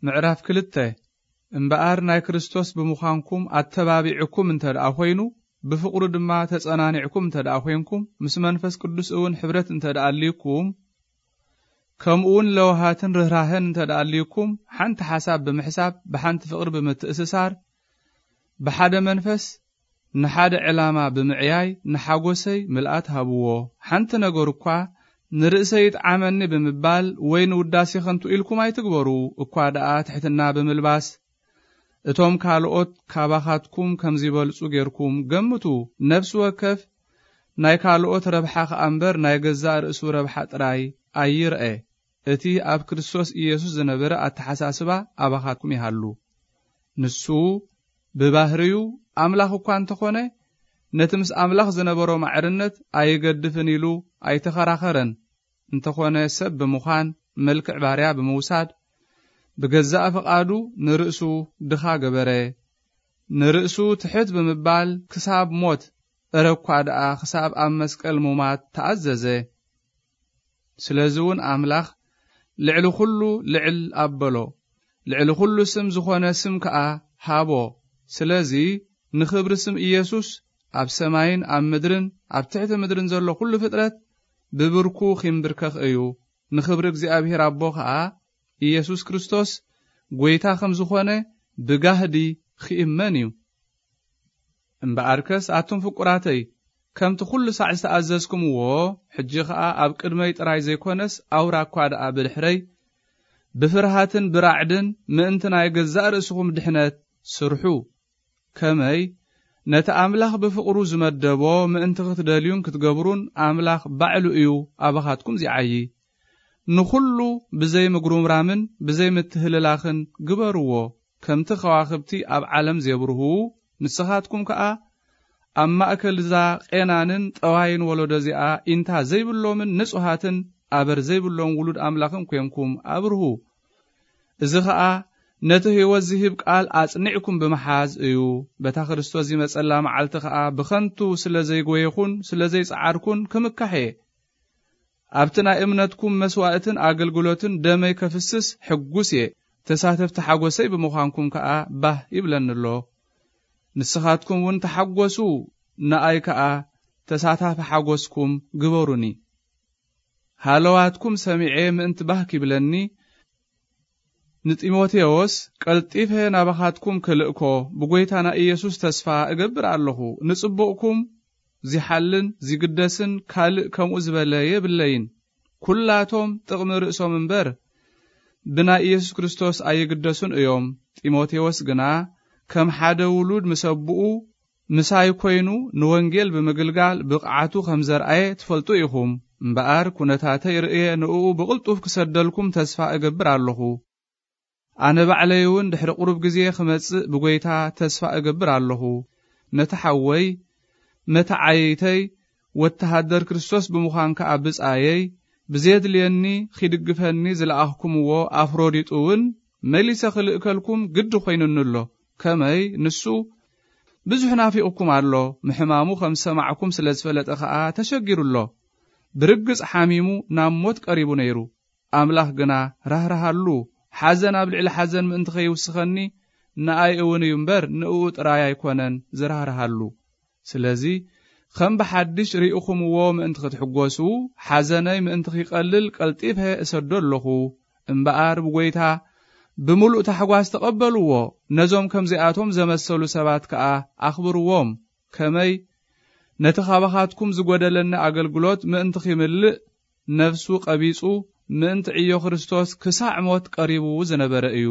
ምዕራፍ ክልተ። እምበኣር ናይ ክርስቶስ ብምዃንኩም ኣተባቢዕኩም እንተ ደኣ ኾይኑ፣ ብፍቕሩ ድማ ተጸናኒዕኩም እንተ ደኣ ኾይንኩም፣ ምስ መንፈስ ቅዱስ እውን ሕብረት እንተ ደኣ ኣልዩኩም፣ ከምኡውን ለውሃትን ርህራህን እንተ ደኣ ኣልዩኩም፣ ሓንቲ ሓሳብ ብምሕሳብ፣ ብሓንቲ ፍቕሪ ብምትእስሳር፣ ብሓደ መንፈስ ንሓደ ዕላማ ብምዕያይ ንሓጎሰይ ምልኣት ሃብዎ። ሓንቲ ነገር እኳ ንርእሰይ ይጥዓመኒ ብምባል ወይ ንውዳሴ ከንቱ ኢልኩም ኣይትግበሩ። እኳ ደኣ ትሕትና ብምልባስ እቶም ካልኦት ካባኻትኩም ከም ዚበልጹ ጌርኩም ገምቱ። ነፍሲ ወከፍ ናይ ካልኦት ረብሓ ኸኣ እምበር ናይ ገዛእ ርእሱ ረብሓ ጥራይ ኣይርአ። እቲ ኣብ ክርስቶስ ኢየሱስ ዝነበረ ኣተሓሳስባ ኣባኻትኩም ይሃሉ። ንሱ ብባህርዩ ኣምላኽ እኳ እንተኾነ፣ ነቲ ምስ ኣምላኽ ዝነበሮ ማዕርነት ኣይገድፍን ኢሉ ኣይተኸራኸረን። እንተኾነ ሰብ ብምዃን መልክዕ ባርያ ብምውሳድ፣ ብገዛእ ፍቓዱ ንርእሱ ድኻ ገበረ። ንርእሱ ትሕት ብምባል ክሳብ ሞት፣ እረ እኳ ደኣ ክሳብ ኣብ መስቀል ሙማት ተኣዘዘ። ስለዚ እውን ኣምላኽ ልዕሊ ኹሉ ልዕል ኣበሎ፣ ልዕሊ ኹሉ ስም ዝኾነ ስም ከኣ ሃቦ። ስለዚ ንኽብሪ ስም ኢየሱስ ኣብ ሰማይን ኣብ ምድርን ኣብ ትሕቲ ምድርን ዘሎ ኹሉ ፍጥረት ብብርኩ ኺምብርከኽ እዩ። ንኽብሪ እግዚኣብሔር ኣቦ ኸኣ ኢየሱስ ክርስቶስ ጐይታ ከም ዝኾነ ብጋህዲ ኺእመን እዩ። እምበኣርከስ ኣቱም ፍቁራተይ፣ ከምቲ ኹሉ ሳዕ ዝተኣዘዝኩምዎ፣ ሕጂ ኸኣ ኣብ ቅድመይ ጥራይ ዘይኮነስ ኣውራ እኳ ደኣ ብድሕረይ፣ ብፍርሃትን ብራዕድን ምእንቲ ናይ ገዛእ ርእስኹም ድሕነት ስርሑ። ከመይ ነቲ ኣምላኽ ብፍቕሩ ዝመደቦ ምእንቲ ክትደልዩን ክትገብሩን ኣምላኽ ባዕሉ እዩ ኣባኻትኩም ዚዓዪ። ንኹሉ ብዘይ ምጉርምራምን ብዘይ ምትህልላኽን ግበርዎ። ከምቲ ኸዋኽብቲ ኣብ ዓለም ዜብርሁ፣ ንስኻትኩም ከኣ ኣብ ማእከል እዛ ቄናንን ጠዋይን ወለዶ እዚኣ ኢንታ ዘይብሎምን ንጹሃትን ኣበር ዘይብሎም ውሉድ ኣምላኽን ኴንኩም ኣብርሁ። እዚ ኸኣ ነቲ ህይወት ዝህብ ቃል ኣጽኒዕኩም ብምሓዝ እዩ። በታ ክርስቶስ ዚመጸላ መዓልቲ ኸኣ ብኸንቱ ስለ ዘይጎየኹን ስለ ዘይጸዓርኩን ክምካሕ እየ። ኣብቲ ናይ እምነትኩም መስዋእትን ኣገልግሎትን ደመይ ከፍስስ ሕጉስ እየ። ተሳተፍቲ ሓጎሰይ ብምዃንኩም ከኣ ባህ ይብለኒ ኣሎ። ንስኻትኩም እውን ተሓጎሱ፣ ንኣይ ከኣ ተሳታፊ ሓጎስኩም ግበሩኒ። ሃለዋትኩም ሰሚዐ ምእንቲ ባህ ኪብለኒ፣ ንጢሞቴዎስ ቀልጢፈ ናባኻትኩም ክልእኮ ብጐይታና ኢየሱስ ተስፋ እገብር ኣለኹ። ንጽቡቕኩም ዚሓልን ዚግደስን ካልእ ከምኡ ዝበለ የብለይን። ኵላቶም ጥቕሚ ርእሶም እምበር፣ ብናይ ኢየሱስ ክርስቶስ ኣይግደሱን እዮም። ጢሞቴዎስ ግና ከም ሓደ ውሉድ ምስ ኣቦኡ ምሳይ ኰይኑ ንወንጌል ብምግልጋል ብቕዓቱ ከም ዘርኣየ ትፈልጡ ኢኹም። እምበኣር ኵነታተይ ርእየ ንእኡ ብቕልጡፍ ክሰደልኩም ተስፋ እገብር ኣለኹ። ኣነ ባዕለይ እውን ድሕሪ ቁሩብ ግዜ ክመጽእ ብጐይታ ተስፋ እገብር ኣለኹ። ነቲ ሓወይ፣ መተዓይይተይ፣ ወተሃደር ክርስቶስ ብምዃን ከኣ ብጻየይ፣ ብዜድልየኒ ኺድግፈኒ ዝለኣኽኩምዎ ኣፍሮዲጡ እውን መሊሰ ክልእከልኩም ግዲ ኾይኑኒ ኣሎ። ከመይ ንሱ ብዙሕ ናፊቕኩም ኣሎ፣ ምሕማሙ ከም ዝሰማዕኩም ስለ ዝፈለጠ ኸኣ ተሸጊሩ ኣሎ። ብርግጽ ሓሚሙ ናብ ሞት ቀሪቡ ነይሩ። ኣምላኽ ግና ራህርሃሉ፣ ሓዘን ኣብ ልዕሊ ሓዘን ምእንቲ ኸይውስኸኒ፣ ንኣይ እውን እዩ እምበር፣ ንእኡ ጥራይ ኣይኮነን ዝራህርሃሉ። ስለዚ፣ ከም ብሓድሽ ርኢኹምዎ ምእንቲ ክትሕጎሱ፣ ሓዘነይ ምእንቲ ኺቐልል ቀልጢፈ እሰዶ ኣለኹ። እምበኣር፣ ብጐይታ ብምሉእ ታሕጓስ ተቐበልዎ። ነዞም ከምዚኣቶም ዘመሰሉ ሰባት ከኣ ኣኽብርዎም። ከመይ ነቲ ኻባኻትኩም ዝጐደለኒ ኣገልግሎት ምእንቲ ኺምልእ፣ ነፍሱ ቀቢጹ ምእንቲ ዕዮ ክርስቶስ ክሳዕ ሞት ቀሪቡ ዝነበረ እዩ።